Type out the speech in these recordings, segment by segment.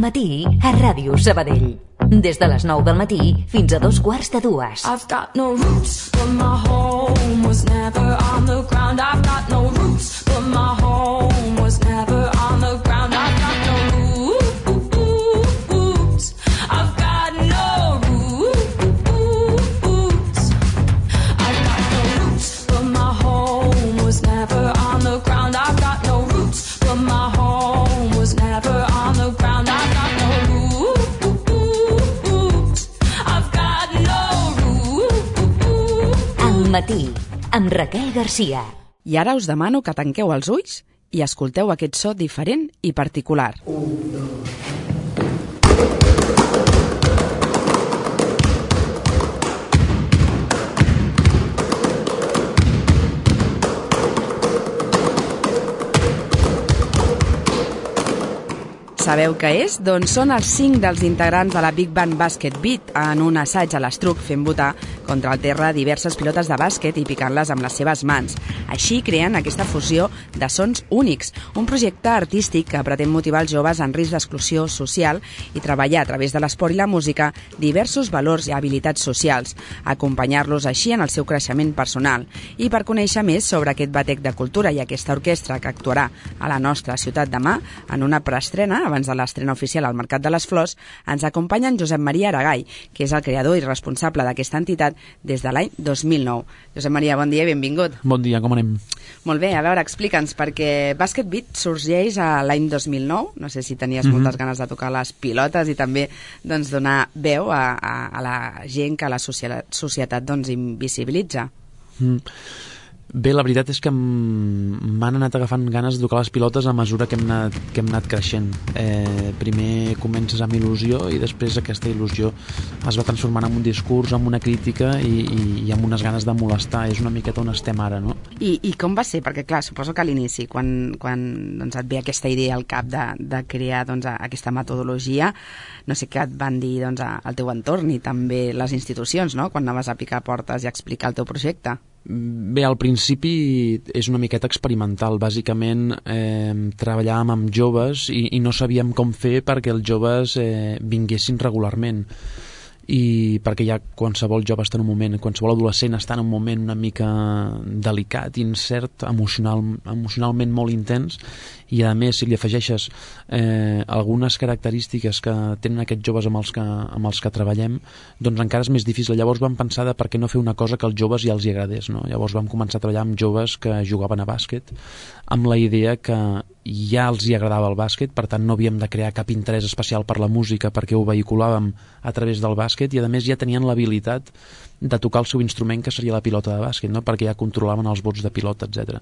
matí a Ràdio Sabadell. Des de les 9 del matí fins a 2:15. I've got no roots, but my home was never on the ground. I've got no roots, but my home was never on the ground. I've got no roots. I've got no roots. I've got no roots, but my home was never on the ground. I've got no roots, but my home was never on the ground. I've got no roots. Al matí, amb Raquel Garcia. I ara us demano que tanqueu els ulls i escolteu aquest so diferent i particular. Sabeu què és? Doncs són els 5 dels integrants de la Big Band Basket Beat en un assaig a l'Estruc fent botar contra el terra diverses pilotes de bàsquet i picant-les amb les seves mans. Així creen aquesta fusió de sons únics, un projecte artístic que pretén motivar els joves en risc d'exclusió social i treballar a través de l'esport i la música diversos valors i habilitats socials, acompanyar-los així en el seu creixement personal. I per conèixer més sobre aquest batec de cultura i aquesta orquestra que actuarà a la nostra ciutat demà en una preestrena abans de l'estrena oficial al Mercat de les Flors, ens acompanya en Josep Maria Aragall, que és el creador i responsable d'aquesta entitat des de l'any 2009. Josep Maria, bon dia i benvingut. Bon dia, com anem? Molt bé, a veure, explica'ns, perquè Basket Beat sorgeix a l'any 2009, no sé si tenies moltes ganes de tocar les pilotes i també doncs, donar veu a la gent que la societat doncs, invisibilitza. Bé, la veritat és que m'han anat agafant ganes de tocar les pilotes a mesura que hem anat creixent. Primer comences amb il·lusió i després aquesta il·lusió es va transformant en un discurs, en una crítica i amb unes ganes de molestar. És una miqueta on estem ara, no? I com va ser? Perquè, clar, suposo que a l'inici, quan doncs, et ve aquesta idea al cap de crear doncs, aquesta metodologia, no sé què et van dir doncs, al teu entorn i també les institucions, no?, quan anaves a picar portes i a explicar el teu projecte. Bé, al principi és una miqueta experimental. Bàsicament treballàvem amb joves i no sabíem com fer perquè els joves vinguessin regularment, i perquè ja qualsevol jove està en un moment, qualsevol adolescent està en un moment una mica delicat, incert, emocionalment molt intens, i a més si li afegeixes algunes característiques que tenen aquests joves amb els que treballem, doncs encara és més difícil. Llavors vam pensar de per què no fer una cosa que als joves ja els hi agradés, no? Llavors vam començar a treballar amb joves que jugaven a bàsquet amb la idea que ja els hi agradava el bàsquet, per tant no havíem de crear cap interès especial per la música perquè ho vehiculàvem a través del bàsquet, i a més ja tenien l'habilitat de tocar el seu instrument, que seria la pilota de bàsquet, no? Perquè ja controlaven els bots de pilota, etc.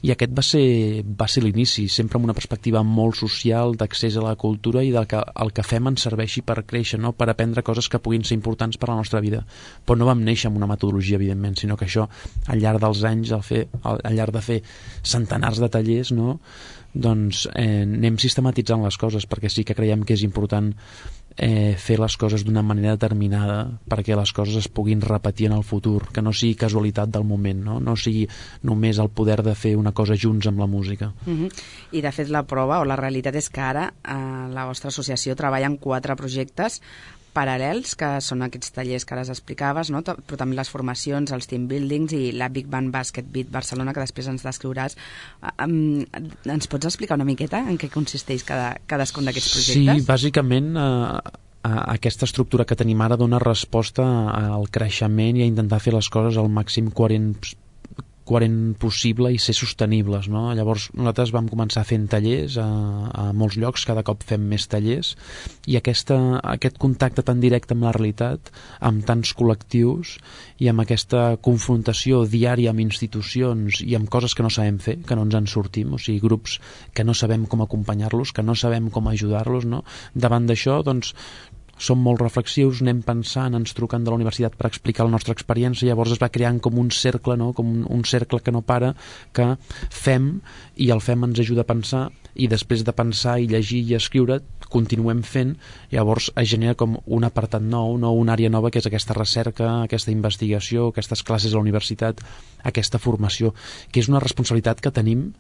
I aquest va ser l'inici, sempre amb una perspectiva molt social, d'accés a la cultura i del que el que fem ens serveixi per créixer, no? Per aprendre coses que puguin ser importants per a la nostra vida. Però no vam néixer amb una metodologia, evidentment, sinó que això, al llarg dels anys, al llarg de fer centenars de tallers, no?, doncs anem sistematitzant les coses, perquè sí que creiem que és important fer les coses d'una manera determinada perquè les coses es puguin repetir en el futur, que no sigui casualitat del moment, no sigui només el poder de fer una cosa junts amb la música. I de fet la prova o la realitat és que ara la vostra associació treballa en 4 projectes paral·lels, que són aquests tallers que ara explicaves, no? Però també les formacions, els team buildings i la Big Band Basket Beat Barcelona, que després ens descriuràs. Ens pots explicar una miqueta en què consisteix cadascun d'aquests projectes? Sí, bàsicament aquesta estructura que tenim ara dona resposta al creixement i a intentar fer les coses al màxim coherent possible i ser sostenibles, no? Llavors nosaltres vam començar fent tallers a molts llocs, cada cop fem més tallers, i aquest contacte tan directe amb la realitat, amb tants col·lectius i amb aquesta confrontació diària amb institucions i amb coses que no sabem fer, que no ens en sortim, o sigui, grups que no sabem com acompanyar-los, que no sabem com ajudar-los, no? Davant d'això, doncs, som molt reflexius, anem pensant, ens truquen de la universitat per explicar la nostra experiència, llavors es va creant com un cercle, no? Com un cercle que no para, que fem, i el fem ens ajuda a pensar, i després de pensar i llegir i escriure continuem fent, llavors es genera com un apartat nou, una àrea nova, que és aquesta recerca, aquesta investigació, aquestes classes a la universitat, aquesta formació, que és una responsabilitat que tenim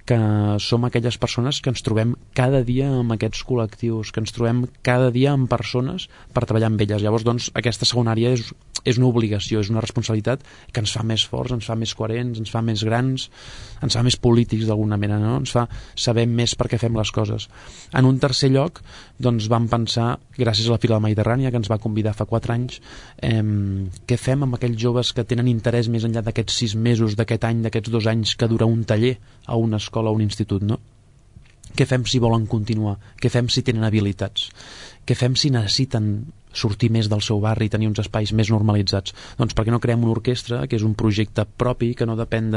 que som aquelles persones que ens trobem cada dia amb aquests col·lectius, que ens trobem cada dia amb persones per treballar amb elles. Llavors, doncs, aquesta segona àrea és una obligació, és una responsabilitat que ens fa més forts, ens fa més coherents, ens fa més grans, ens fa més polítics d'alguna manera, no? Ens fa saber més per què fem les coses. En un tercer lloc, doncs, vam pensar, gràcies a la Fira de la Mediterrània, que ens va convidar fa 4 anys, què fem amb aquells joves que tenen interès més enllà d'aquests 6 mesos, d'aquest any, d'aquests 2 anys que dura un taller a una escola o un institut, no? Què fem si volen continuar? Què fem si tenen habilitats? Què fem si necessiten sortir més del seu barri i tenir uns espais més normalitzats? Doncs per què no creem una orquestra, que és un projecte propi, que no depèn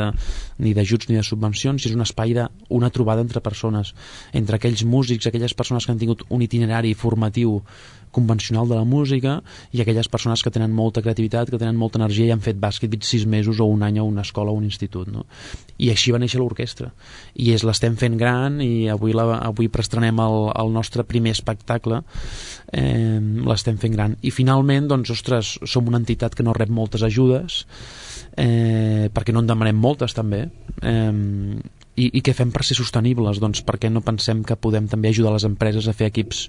ni d'ajuts ni de subvencions, és un espai una trobada entre persones, entre aquells músics, aquelles persones que han tingut un itinerari formatiu convencional de la música i aquelles persones que tenen molta creativitat, que tenen molta energia i han fet bàsquet 6 mesos o un any a una escola o un institut, no? I així va néixer l'orquestra. I l'estem fent gran i avui preestrenem el nostre primer espectacle, l'estem fent gran. I finalment, doncs, ostres, som una entitat que no rep moltes ajudes, perquè no en demanem moltes també, i què fem per ser sostenibles? Doncs per què no pensem que podem també ajudar les empreses a fer equips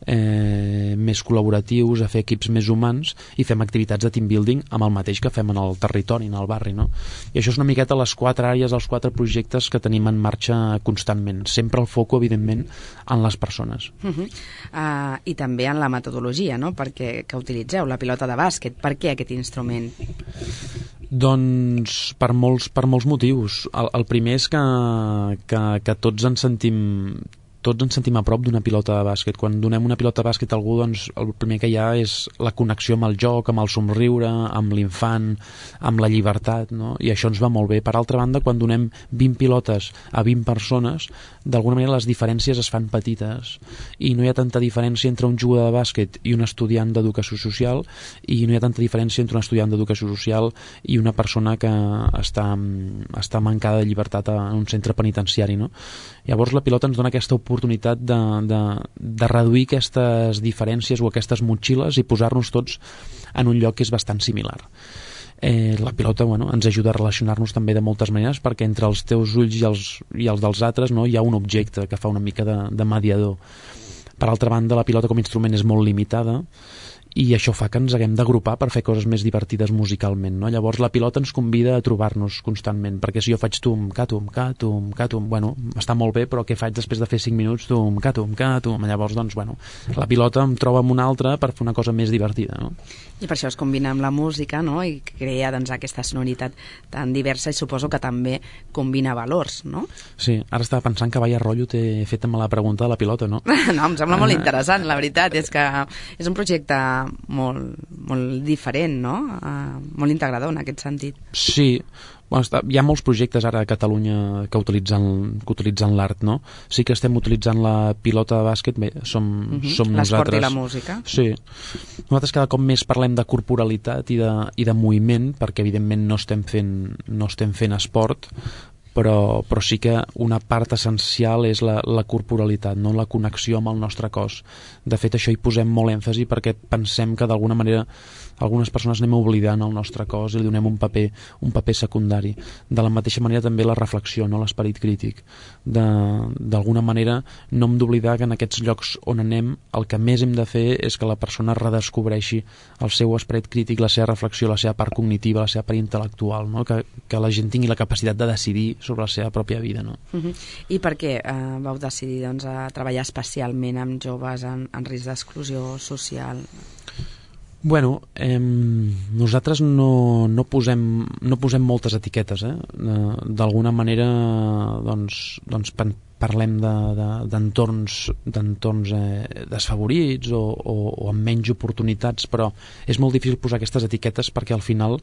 més col·laboratius, a fer equips més humans, i fem activitats de team building amb el mateix que fem en el territori, en el barri, no? I això és una miqueta les 4 àrees, els 4 projectes que tenim en marxa constantment, sempre el foco, evidentment, en les persones. I també en la metodologia, no? Perquè que utilitzeu la pilota de bàsquet. Per què aquest instrument? Doncs per molts motius. El primer és que tots ens sentim a prop d'una pilota de bàsquet. Quan donem una pilota de bàsquet a algú, doncs el primer que hi ha és la connexió amb el joc, amb el somriure, amb l'infant, amb la llibertat, no? I això ens va molt bé. Per altra banda, quan donem 20 pilotes a 20 persones, d'alguna manera les diferències es fan petites i no hi ha tanta diferència entre un jugador de bàsquet i un estudiant d'educació social, i no hi ha tanta diferència entre un estudiant d'educació social i una persona que està mancada de llibertat en un centre penitenciari, no? Llavors la pilota ens dona aquesta oportunitat de reduir aquestes diferències o aquestes motxilles i posar-nos tots en un lloc que és bastant similar. La pilota, ens ajuda a relacionar-nos també de moltes maneres, perquè entre els teus ulls i els dels altres, no, hi ha un objecte que fa una mica de mediador. Per altra banda, la pilota com a instrument és molt limitada i això fa que ens haguem d'agrupar per fer coses més divertides musicalment, no? Llavors la pilota ens convida a trobar-nos constantment, perquè si jo faig tum, catum, catum, catum, està molt bé, però què faig després de fer 5 minuts? Tum, catum, catum. Llavors, doncs, la pilota em troba amb una altra per fer una cosa més divertida, no? I per això es combina amb la música, no? I crea, doncs, aquesta sonoritat tan diversa, i suposo que també combina valors, no? Sí, ara estava pensant que vaya rotllo t'he fet amb la pregunta de la pilota, no? No, em sembla molt interessant, la veritat, és que és un projecte molt diferent, no? Molt integrador en aquest sentit. Sí, hi ha molts projectes ara a Catalunya que utilitzen l'art, no? Sí que estem utilitzant la pilota de bàsquet, bé, som nosaltres. L'esport i la música. Sí. Nosaltres cada cop més parlem de corporalitat i de moviment, perquè evidentment no estem fent esport, però sí que una part essencial és la corporalitat, no? La connexió amb el nostre cos. De fet, això hi posem molt èmfasi perquè pensem que d'alguna manera algunes persones anem oblidant el nostre cos i li donem un paper secundari. De la mateixa manera també la reflexió, no? L'esperit crític. D'alguna manera no hem d'oblidar que en aquests llocs on anem el que més hem de fer és que la persona redescobreixi el seu esperit crític, la seva reflexió, la seva part cognitiva, la seva part intel·lectual, no? Que la gent tingui la capacitat de decidir sobre la seva pròpia vida, no? I per què vau decidir, doncs, a treballar especialment amb joves en risc d'exclusió social? Nosaltres no posem moltes etiquetes, d'alguna manera doncs parlem d'entorns desfavorits o amb menys oportunitats, però és molt difícil posar aquestes etiquetes perquè al final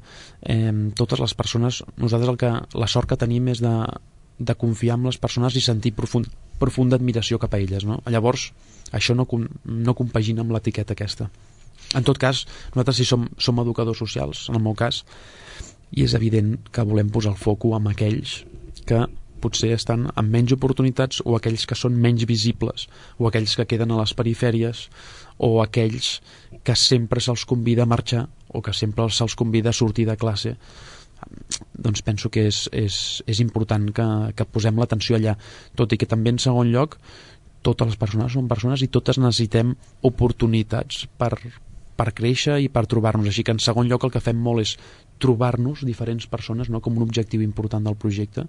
totes les persones, nosaltres la sort que tenim és de confiar en les persones i sentir profunda admiració cap a elles, no? Llavors això no compagina amb l'etiqueta aquesta. En tot cas, nosaltres sí som educadors socials, en el meu cas, i és evident que volem posar el foco en aquells que potser estan amb menys oportunitats, o aquells que són menys visibles, o aquells que queden a les perifèries, o aquells que sempre se'ls convida a marxar o que sempre se'ls convida a sortir de classe. doncs penso que és important que posem l'atenció allà, tot i que també en segon lloc totes les persones són persones i totes necessitem oportunitats per créixer i per trobar-nos, així que en segon lloc el que fem molt és trobar-nos diferents persones, no? Com un objectiu important del projecte,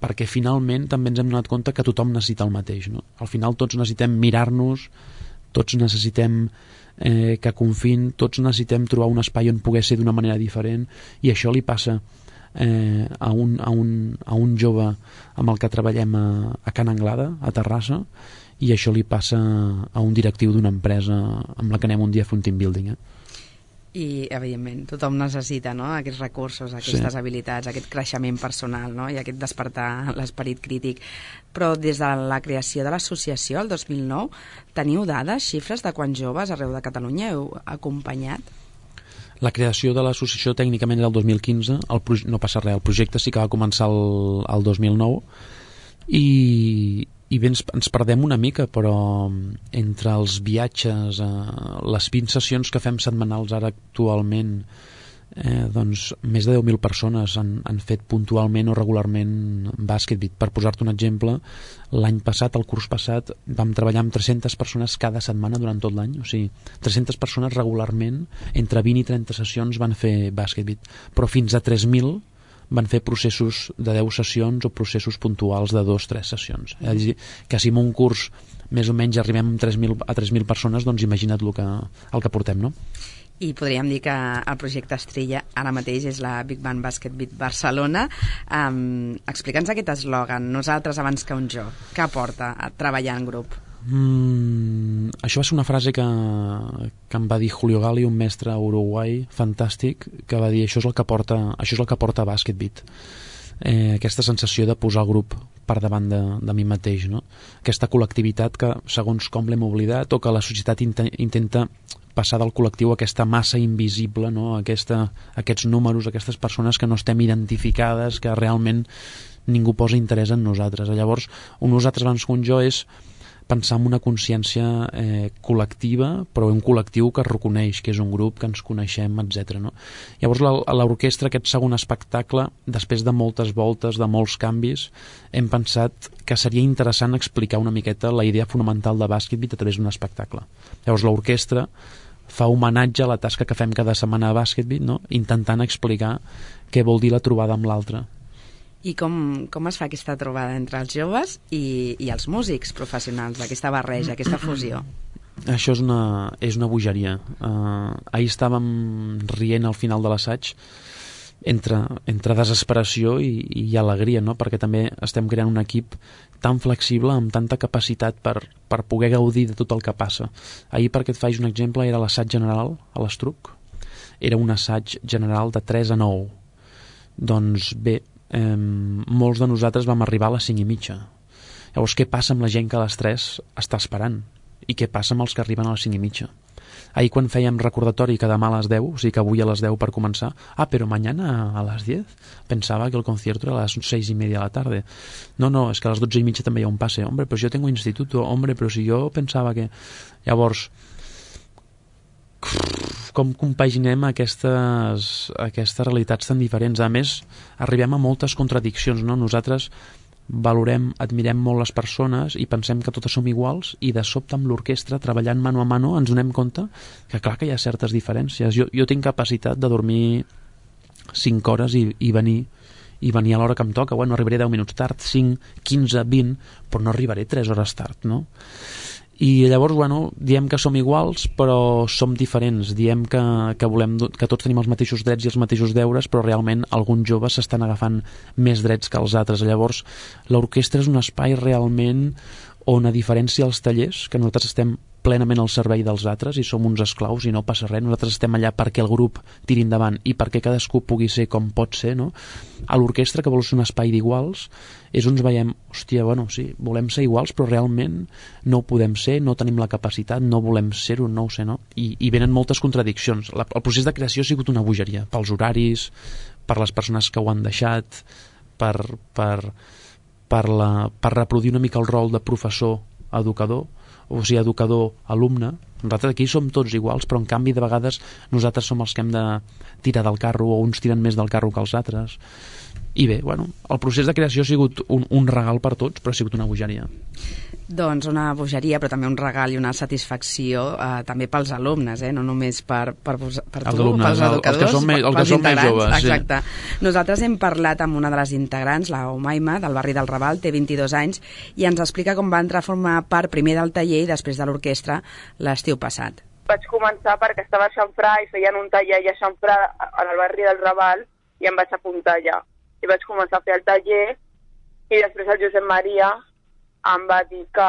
perquè finalment també ens hem donat compte que tothom necessita el mateix, no? Al final tots necessitem mirar-nos, tots necessitem que confiïn, tots necessitem trobar un espai on poder ser d'una manera diferent, i això li passa a un jove amb el que treballem a Can Anglada, a Terrassa, i això li passa a un directiu d'una empresa amb la que anem un dia a fer un team building. I, evidentment, tothom necessita, no?, aquests recursos, aquestes habilitats, aquest creixement personal, no?, i aquest despertar l'esperit crític. Però des de la creació de l'associació, el 2009, teniu dades, xifres de quants joves arreu de Catalunya heu acompanyat? La creació de l'associació tècnicament era el 2015, no passa res, el projecte sí que va començar el 2009, i bé, ens perdem una mica, però entre els viatges, les 20 sessions que fem setmanals ara actualment, doncs més de 10.000 persones han fet puntualment o regularment BasketBeat. Per posar-te un exemple, l'any passat, el curs passat, vam treballar amb 300 persones cada setmana durant tot l'any, o sigui, 300 persones regularment, entre 20 i 30 sessions van fer BasketBeat, però fins a 3.000 van fer processos de 10 sessions o processos puntuals de 2-3 sessions. És a dir, que si en un curs més o menys arribem a 3.000 persones, doncs imagina't el que portem, no? I podríem dir que el projecte estrella ara mateix és la Big Band BasketBeat Barcelona. Explica'ns aquest eslògan, nosaltres abans que un jo. Què aporta a treballar en grup? Això va ser una frase que em va dir Julio Gali, un mestre a Uruguai fantàstic, que va dir això és el que porta BasketBeat, aquesta sensació de posar el grup per davant de mi mateix, no? Aquesta col·lectivitat que segons com l'hem oblidat, o que la societat intenta passar del col·lectiu a aquesta massa invisible, no? Aquests números, aquestes persones que no estem identificades, que realment ningú posa interès en nosaltres. Llavors, un nosaltres abans que un jo és pensar en una consciència col·lectiva, però un col·lectiu que es reconeix, que és un grup, que ens coneixem, etc. No? Llavors l'orquestra, aquest segon espectacle, després de moltes voltes, de molts canvis, hem pensat que seria interessant explicar una miqueta la idea fonamental de BasketBeat a través d'un espectacle. Llavors l'orquestra fa homenatge a la tasca que fem cada setmana a BasketBeat, no? Intentant explicar què vol dir la trobada amb l'altre. I com es fa aquesta trobada entre els joves i els músics professionals, aquesta barreja, aquesta fusió? Això és una bogeria. Ahir estàvem rient al final de l'assaig entre desesperació i alegria, no? Perquè també estem creant un equip tan flexible, amb tanta capacitat per poder gaudir de tot el que passa. Ahir, perquè et faig un exemple, era l'assaig general a l'Estruc. Era un assaig general de 3 a 9. Doncs bé, molts de nosaltres vam arribar a les 5:30. Llavors, què passa amb la gent que a les 3 està esperant? I què passa amb els que arriben a les 5:30? Ahir, quan fèiem recordatori que demà a les 10, o sigui que avui a les 10 per començar, però mañana a les 10, pensava que el concierto era a les 6:30 de la tarde. No, és que a les 12:30 també hi ha un pase. Hombre, però si jo tengo instituto, hombre, però si jo pensava que... Llavors, com compaginem aquestes realitats tan diferents? A més, arribem a moltes contradiccions, no? Nosaltres valorem, admirem molt les persones i pensem que totes som iguals, i de sobte amb l'orquestra, treballant mano a mano, ens donem compte que clar que hi ha certes diferències. Jo tinc capacitat de dormir 5 hores i venir a l'hora que em toca. Bueno, arribaré 10 minuts tard, 5, 15, 20, però no arribaré 3 hores tard, no? I llavors, bueno, diem que som iguals, però som diferents. Diem que volem que tots tenim els mateixos drets i els mateixos deures, però realment alguns joves s'estan agafant més drets que els altres. Llavors, l'orquestra és un espai realment on, a diferència dels tallers, que nosaltres estem plenament al servei dels altres i som uns esclaus i no passa res, nosaltres estem allà perquè el grup tiri endavant i perquè cadascú pugui ser com pot ser, no? A l'orquestra, que vol ser un espai d'iguals, és on ens veiem, hòstia, bueno, sí, volem ser iguals, però realment no ho podem ser, no tenim la capacitat, no volem ser-ho, no ho sé, no? I venen moltes contradiccions. El procés de creació ha sigut una bogeria, pels horaris, per les persones que ho han deixat, per reproduir una mica el rol de professor-educador, o sigui, educador-alumne. Nosaltres aquí som tots iguals, però en canvi de vegades nosaltres som els que hem de tirar del carro, o uns tiren més del carro que els altres. I bé, bueno, el procés de creació ha sigut un regal per tots, però ha sigut una bogeria. Doncs una bogeria, però també un regal i una satisfacció també pels alumnes, no només per tu, pels educadors, els que són més joves. Exacte. Sí. Nosaltres hem parlat amb una de les integrants, la Umaima, del barri del Raval, té 22 anys, i ens explica com va entrar a formar part primer del taller i després de l'orquestra l'estiu passat. Vaig començar perquè estava a Xamfrà i feien un taller a Xamfrà al barri del Raval i em vaig apuntar allà. I vaig començar a fer el taller i després el Josep Maria em va dir que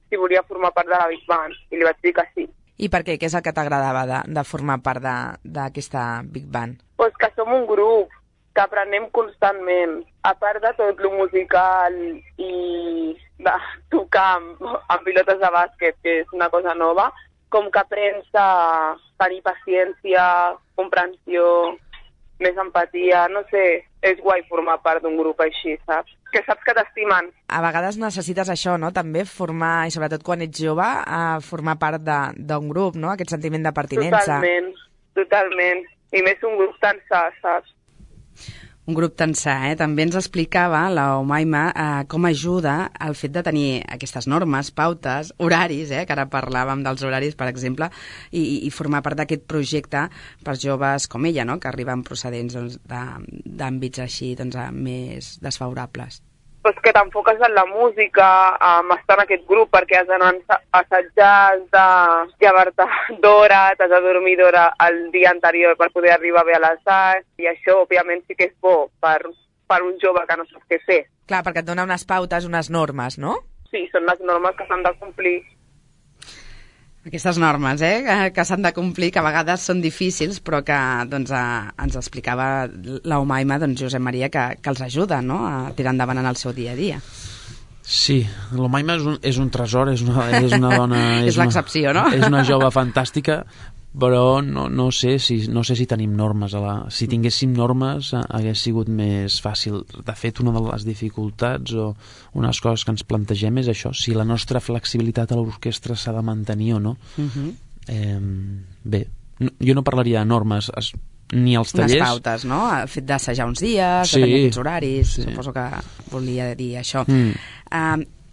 si volia formar part de la Big Band i li vaig dir que sí. I per què? Què és el que t'agradava de formar part d'aquesta Big Band? Pues que som un grup, que aprenem constantment. A part de tot lo musical i de tocar amb pilotes de bàsquet, que és una cosa nova, com que aprens a tenir paciència, comprensió, més empatia, no sé, és guai formar part d'un grup així, saps? Que saps que t'estimen. A vegades necessites això, no?, també formar, i sobretot quan ets jove, formar part d'un grup, no?, aquest sentiment de pertinença. Totalment. I més un grup tan sa, saps? Un grup tan sa, També ens explicava la Umaima com ajuda el fet de tenir aquestes normes, pautes, horaris, que ara parlàvem dels horaris, per exemple, i formar part d'aquest projecte per joves com ella, no?, que arriben procedents d'àmbits així més desfavorables. Pues que t'enfoques en la música, estar en aquest grup, perquè has d'anar a assajar, has de llevar-te d'hora, t'has de dormir d'hora el dia anterior per poder arribar bé a l'assaig, i això, òbviament, sí que és bo per un jove que no sap què fer. Clar, perquè et dona unes pautes, unes normes, no? Sí, són les normes que s'han de complir. Aquestes normes, que s'han de complir, que a vegades són difícils, però que ens explicava la Umaima, Josep Maria, que els ajuda, no?, a tirar endavant en el seu dia a dia. Sí, l'Umaima és un tresor, és una dona... és l'excepció, no? És una jove fantàstica, però no sé si tenim normes. Si tinguéssim normes hagués sigut més fàcil. De fet, una de les dificultats o unes coses que ens plantegem és això, si la nostra flexibilitat a l'orquestra s'ha de mantenir o no. Bé, jo no parlaria de normes, ni als tallers... Unes pautes, no? El fet d'assajar uns dies, de tenir aquests horaris, suposo que volia dir això.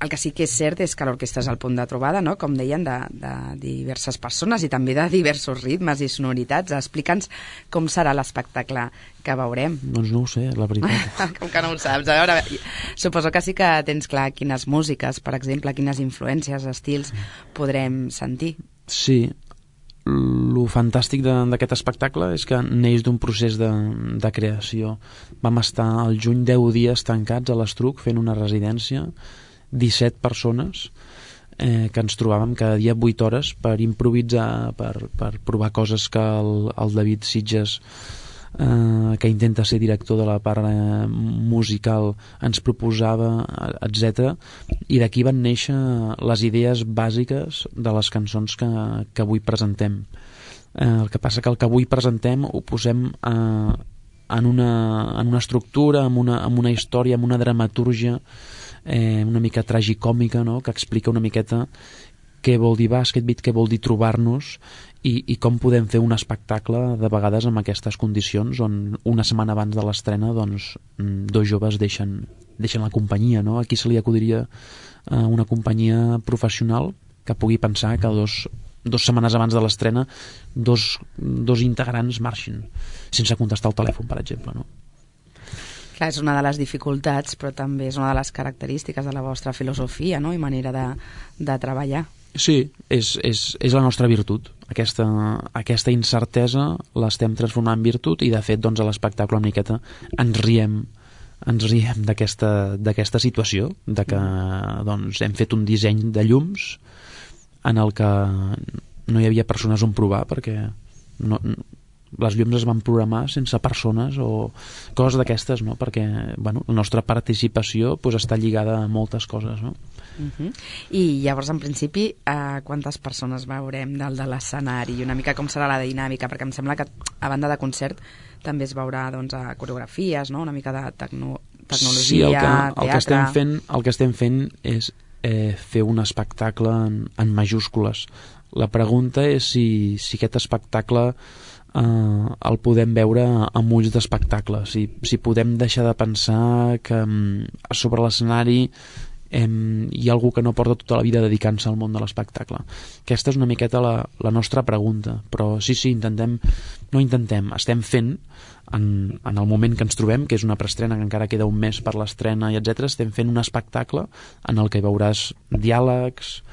El que sí que és cert és que l'orquestra és el punt de trobada, no?, com deien, de diverses persones i també de diversos ritmes i sonoritats. Explica'ns com serà l'espectacle que veurem. Doncs no ho sé, la veritat. Com que no ho saps? A veure, suposo que sí que tens clar quines músiques, per exemple, quines influències, estils podrem sentir. Sí, lo fantàstic d'aquest espectacle és que neix d'un procés de creació. Vam estar al juny 10 dies tancats a l'Estruc fent una residència, 17 persones que ens trobàvem cada dia 8 hores per improvisar, per provar coses que el David Sitges, que intenta ser director de la part musical, ens proposava, etc. I d'aquí van néixer les idees bàsiques de les cançons que avui presentem. El que passa que el que avui presentem ho posem en una estructura, en una història, en una dramatúrgia una mica tragicòmica, no?, que explica una miqueta què vol dir Basket Beat, què vol dir trobar-nos i com podem fer un espectacle de vegades amb aquestes condicions on una setmana abans de l'estrena dos joves deixen la companyia, no? Aquí se li acudiria una companyia professional que pugui pensar que dos setmanes abans de l'estrena dos integrants marxin sense contestar el telèfon, per exemple, no? Clar, és una de les dificultats, però també és una de les característiques de la vostra filosofia, no?, i manera de treballar. Sí, és la nostra virtut. Aquesta incertesa l'estem transformant en virtut i, de fet, a l'espectacle una miqueta ens riem d'aquesta situació, de que hem fet un disseny de llums en el que no hi havia persones on provar, perquè les llums es van programar sense persones o coses d'aquestes, no? Perquè la nostra participació està lligada a moltes coses, no? I llavors, en principi, quantes persones veurem dalt de l'escenari i una mica com serà la dinàmica? Perquè em sembla que a banda de concert també es veurà coreografies, no?, una mica de tecnologia, sí, teatre... El que estem fent és fer un espectacle en majúscules. La pregunta és si aquest espectacle el podem veure amb ulls d'espectacle, si podem deixar de pensar que sobre l'escenari hi ha algú que no porta tota la vida dedicant-se al món de l'espectacle. Aquesta és una miqueta la nostra pregunta, però sí, estem fent en el moment que ens trobem, que és una preestrena, que encara queda un mes per l'estrena i etc, estem fent un espectacle en el que hi veuràs diàlegs,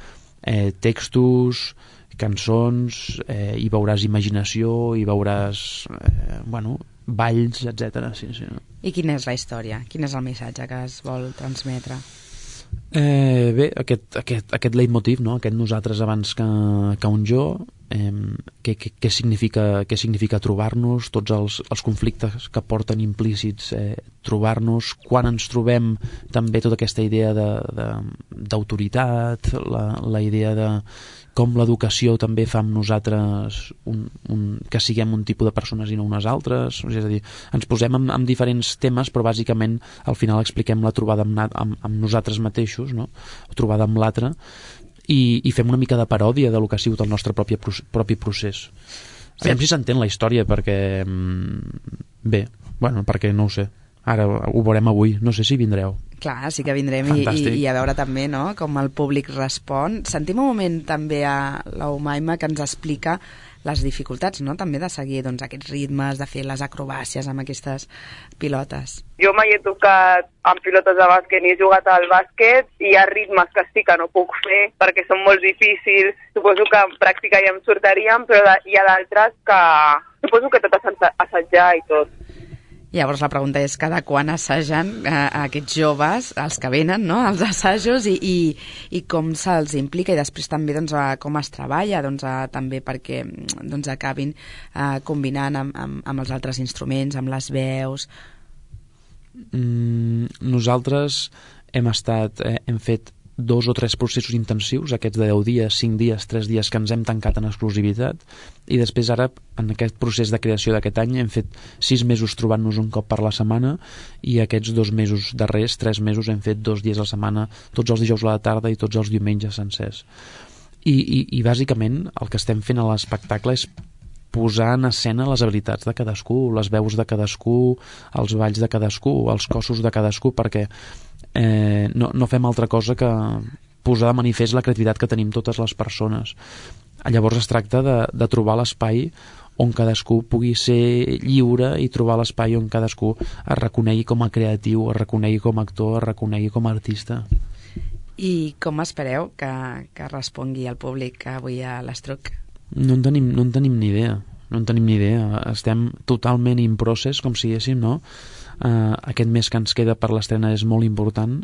textos, cançons, hi veuràs imaginació, hi veuràs balls, etc. Sí. I quina és la història? Quin és el missatge que es vol transmetre? Bé, aquest leitmotiv, no? Aquest nosaltres abans que un jo, què significa trobar-nos, tots els conflictes que porten implícits trobar-nos, quan ens trobem també tota aquesta idea d'autoritat, la idea de com l'educació també fa amb nosaltres que siguem un tipus de persones i no unes altres, és a dir, ens posem amb diferents temes, però bàsicament al final expliquem la trobada amb nosaltres mateixos, no? Trobada amb l'altre, i fem una mica de paròdia del que ha sigut el nostre propi procés. Aviam si s'entén la història, perquè perquè no ho sé, ara ho veurem avui, no sé si vindreu. Clar, sí que vindrem i a veure també, no?, com el públic respon. Sentim un moment també a l'Umaima que ens explica les dificultats, no?, també de seguir aquests ritmes, de fer les acrobàcies amb aquestes pilotes. Jo mai he tocat amb pilotes de bàsquet ni he jugat al bàsquet, i hi ha ritmes que sí que no puc fer perquè són molt difícils. Suposo que en pràctica ja em sortirien, però hi ha d'altres que suposo que tot és assajar i tot. Llavors la pregunta és cada quan assagen aquests joves, els que venen, no?, als assajos, i com se'ls implica, i després també com es treballa també perquè acabin combinant amb els altres instruments, amb les veus. Nosaltres hem fet 2 o 3 processos intensius, aquests de 10 dies, 5 dies, 3 dies que ens hem tancat en exclusivitat, i després ara en aquest procés de creació d'aquest any hem fet 6 mesos trobant-nos un cop per la setmana, i aquests 2 mesos darrers, 3 mesos, hem fet 2 dies a la setmana, tots els dijous a la tarda i tots els diumenges sencers. I bàsicament el que estem fent a l'espectacle és posar en escena les habilitats de cadascú, les veus de cadascú, els balls de cadascú, els cossos de cadascú, perquè no fem altra cosa que posar de manifest la creativitat que tenim totes les persones. Llavors es tracta de trobar l'espai on cadascú pugui ser lliure i trobar l'espai on cadascú es reconegui com a creatiu, es reconegui com a actor, es reconegui com a artista. I com espereu que respongui el públic avui a l'Estruc? No en tenim ni idea. Estem totalment in process, com si diguéssim, no? Aquest mes que ens queda per l'estrena és molt important,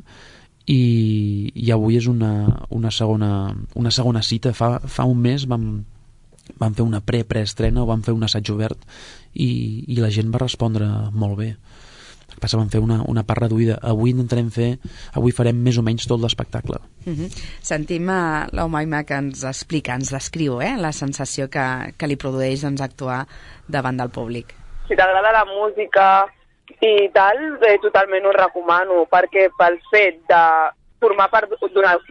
i avui és una segona cita. Fa un mes vam fer una preestrena, o vam fer un assaig obert, i la gent va respondre molt bé. El que passa, vam fer una part reduïda. Avui farem més o menys tot l'espectacle. Sentim a l'Umaima que ens explica, ens descriu la sensació que li produeix actuar davant del públic. Si t'agrada la música i tal, totalment ho recomano, perquè pel fet de formar part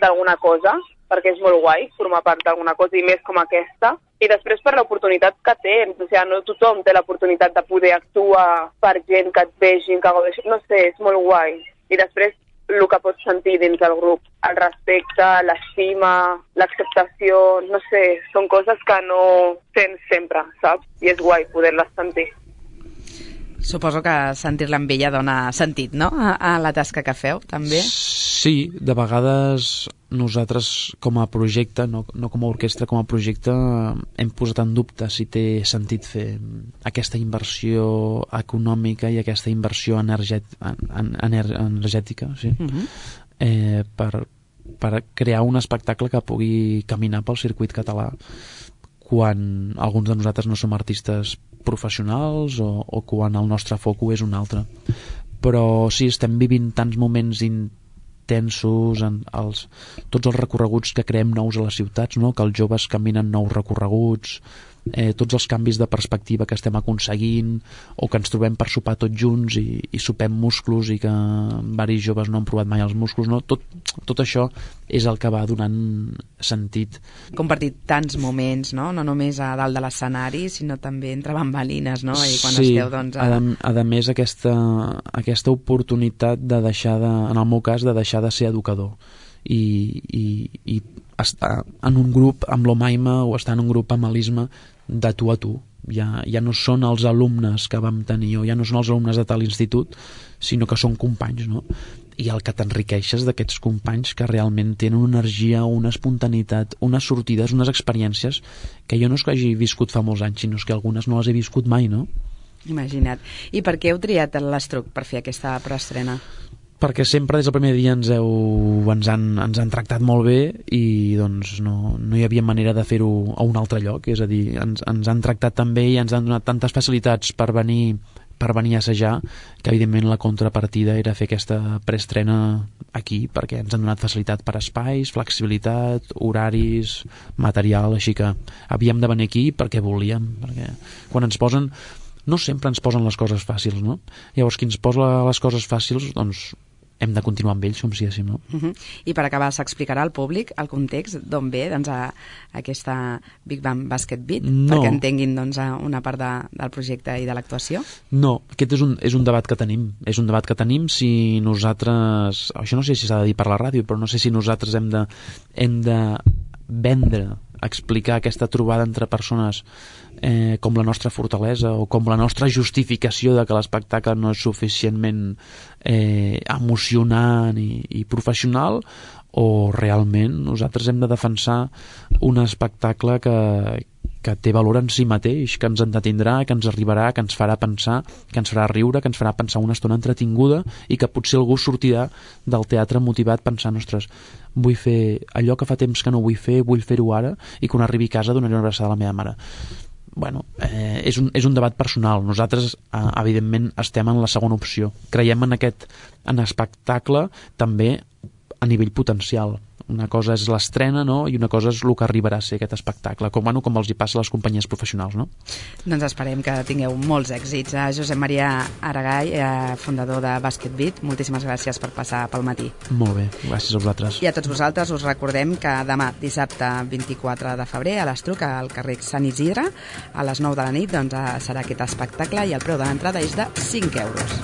d'alguna cosa, perquè és molt guai formar part d'alguna cosa, i més com aquesta, i després per l'oportunitat que tens, o sigui, no tothom té l'oportunitat de poder actuar per gent que et vegin, que gaudeixin, no sé, és molt guai. I després el que pots sentir dins del grup, el respecte, l'estima, l'acceptació, no sé, són coses que no tens sempre, saps? I és guai poder-les sentir. Suposo que sentir-la amb ella dona sentit, no?, a la tasca que feu, també? Sí, de vegades nosaltres com a projecte, no com a orquestra, com a projecte, hem posat en dubte si té sentit fer aquesta inversió econòmica i aquesta inversió energètica, sí? Per crear un espectacle que pugui caminar pel circuit català, quan alguns de nosaltres no som artistes professionals, o quan el nostre foco és un altre. Però sí, estem vivint tants moments intensos, tots els recorreguts que creem nous a les ciutats, no? Que els joves caminen nous recorreguts, tots els canvis de perspectiva que estem aconseguint, o que ens trobem per sopar tots junts i sopem musclos i que varis joves no han provat mai els musclos, no? Tot això és el que va donant sentit. Compartit tants moments, no només a dalt de l'escenari, sinó també entre bambalines, no? I quan sí, esteu, doncs, a més aquesta oportunitat de deixar en el meu cas, de deixar de ser educador i estar en un grup amb l'Omaima o estar en un grup amb l'Isma de tu a tu. Ja no són els alumnes que vam tenir o ja no són els alumnes de tal institut, sinó que són companys, no? I el que t'enriqueixes d'aquests companys que realment tenen una energia, una espontaneïtat, unes sortides, unes experiències que jo no és que hagi viscut fa molts anys, sinó que algunes no les he viscut mai, no? Imagina't. I per què heu triat l'Estruc per fer aquesta preestrena? Perquè sempre des del primer dia ens han tractat molt bé i doncs no hi havia manera de fer-ho a un altre lloc, és a dir, ens han tractat tan bé i ens han donat tantes facilitats per venir a assajar, que evidentment la contrapartida era fer aquesta preestrena aquí, perquè ens han donat facilitat per espais, flexibilitat, horaris, material, així que havíem de venir aquí perquè volíem, perquè quan ens posen, no sempre ens posen les coses fàcils, no? Llavors qui ens posa les coses fàcils, doncs hem de continuar amb ells, com si diguéssim, no? I per acabar, s'explicarà al públic el context d'on ve doncs, aquesta Big Band Basket Beat, perquè entenguin doncs, una part del projecte i de l'actuació? No, aquest és un debat que tenim. És un debat que tenim si nosaltres... Això no sé si s'ha de dir per la ràdio, però no sé si nosaltres hem de vendre, explicar aquesta trobada entre persones com la nostra fortalesa o com la nostra justificació de que l'espectacle no és suficientment emocionant i professional, o realment nosaltres hem de defensar un espectacle que té valor en si mateix, que ens entretindrà, que ens arribarà, que ens farà pensar, que ens farà riure, que ens farà pensar una estona entretinguda i que potser algú sortirà del teatre motivat pensant, ostres, vull fer allò que fa temps que no vull fer-ho ara, i quan arribi a casa donaré una abraçada a la meva mare. Bueno, és un debat personal. Nosaltres, evidentment, estem en la segona opció. Creiem en espectacle també a nivell potencial. Una cosa és l'estrena, no? I una cosa és el que arribarà a ser aquest espectacle, com els hi passa a les companyies professionals, no? Doncs esperem que tingueu molts èxits. Josep Maria Aragall, fundador de Basket Beat, moltíssimes gràcies per passar pel matí. Molt bé, gràcies a vosaltres. I a tots vosaltres us recordem que demà, dissabte 24 de febrer, a l'Estruc, al carrer Sant Isidre, a les 9 de la nit, doncs, serà aquest espectacle i el preu de l'entrada és de 5 euros.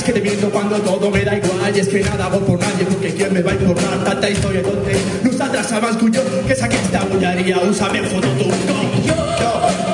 Que te miento cuando todo me da igual. Y es que nada hago por nadie, porque quién me va a informar. Tanta historia donde nosaltres abans que jo, que és aquesta bulleria, ho sabem foto tu. Jo